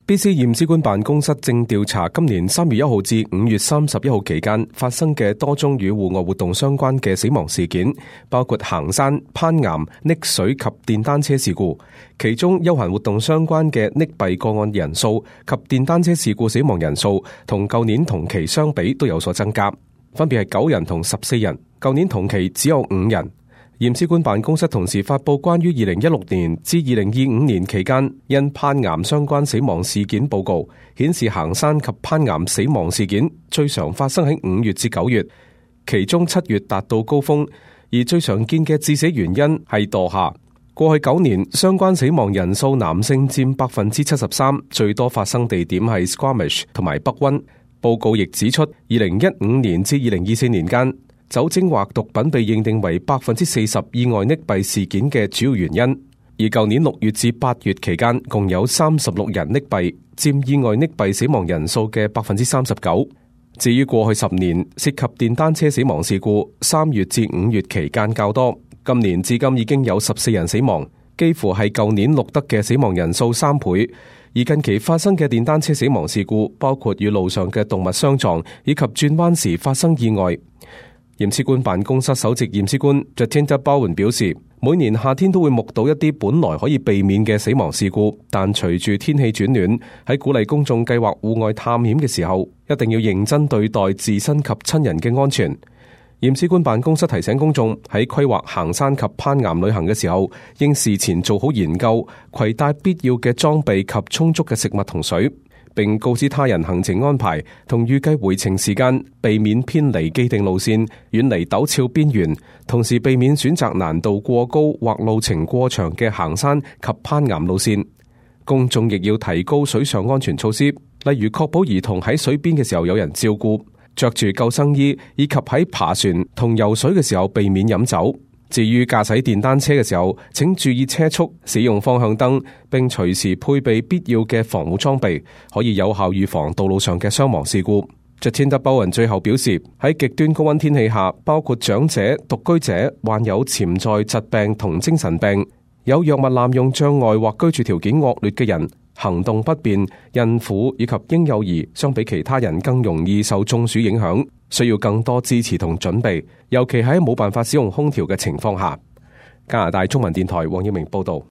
BC 驗屍官辦公室正調查今年3月1號至5月31號期間發生嘅多宗與戶外活動相關嘅死亡事件，包括行山、攀岩、溺水及電單車事故。其中休閒活動相關嘅溺斃個案人數及電單車事故死亡人數同舊年同期相比都有所增加，分別係9人同14人，舊年同期只有5人。驗屍官辦公室同時發佈關於2016年至2025年期間因攀岩相關死亡事件報告，顯示行山及攀岩死亡事件最常發生喺5月至9月，其中7月達到高峰，而最常見嘅致死原因係墮下。過去9年相關死亡人數男性佔73%，最多發生地點係 Squamish 同埋北溫。報告亦指出，2015年至2024年間，酒精或毒品被認定為40%意外溺斃事件嘅主要原因，而舊年6月至8月期間，共有36人溺斃，佔意外溺斃死亡人數嘅39%。至於過去10年涉及電單車死亡事故，3月至5月期間較多，今年至今已經有14人死亡，幾乎係舊年錄得嘅死亡人數3倍。而近期發生嘅電單車死亡事故，包括與路上嘅動物相撞，以及轉彎時發生意外。驗屍官辦公室首席驗屍官 Jatinda Bowen 表示，每年夏天都會目睹一啲本來可以避免嘅死亡事故，但隨住天氣轉暖，喺鼓勵公眾計劃戶外探險嘅時候，一定要認真對待自身及親人嘅安全。驗屍官辦公室提醒公眾喺規劃行山及攀岩旅行嘅時候，應事前做好研究，攜帶必要嘅裝備及充足嘅食物同水，並告知他人行程安排同預計回程時間，避免偏離既定路線，遠離陡峭邊緣，同時避免選擇難度過高或路程過長嘅行山及攀岩路線。公眾亦要提高水上安全措施，例如確保兒童喺水邊嘅時候有人照顧，着住救生衣，以及喺爬船同游水嘅時候避免飲酒。至於駕駛電單車嘅時候，請注意車速，使用方向燈，並隨時配備必要嘅防護裝備，可以有效預防道路上嘅傷亡事故。Jatinda Bowen 最後表示，喺極端高溫天氣下，包括長者、獨居者、患有潛在疾病同精神病、有藥物濫用障礙或居住條件惡劣嘅人、行動不便、孕婦以及嬰幼兒，相比其他人更容易受中暑影響，需要更多支持同準備，尤其喺冇辦法使用空調嘅情況下。加拿大中文電台黃耀明報道。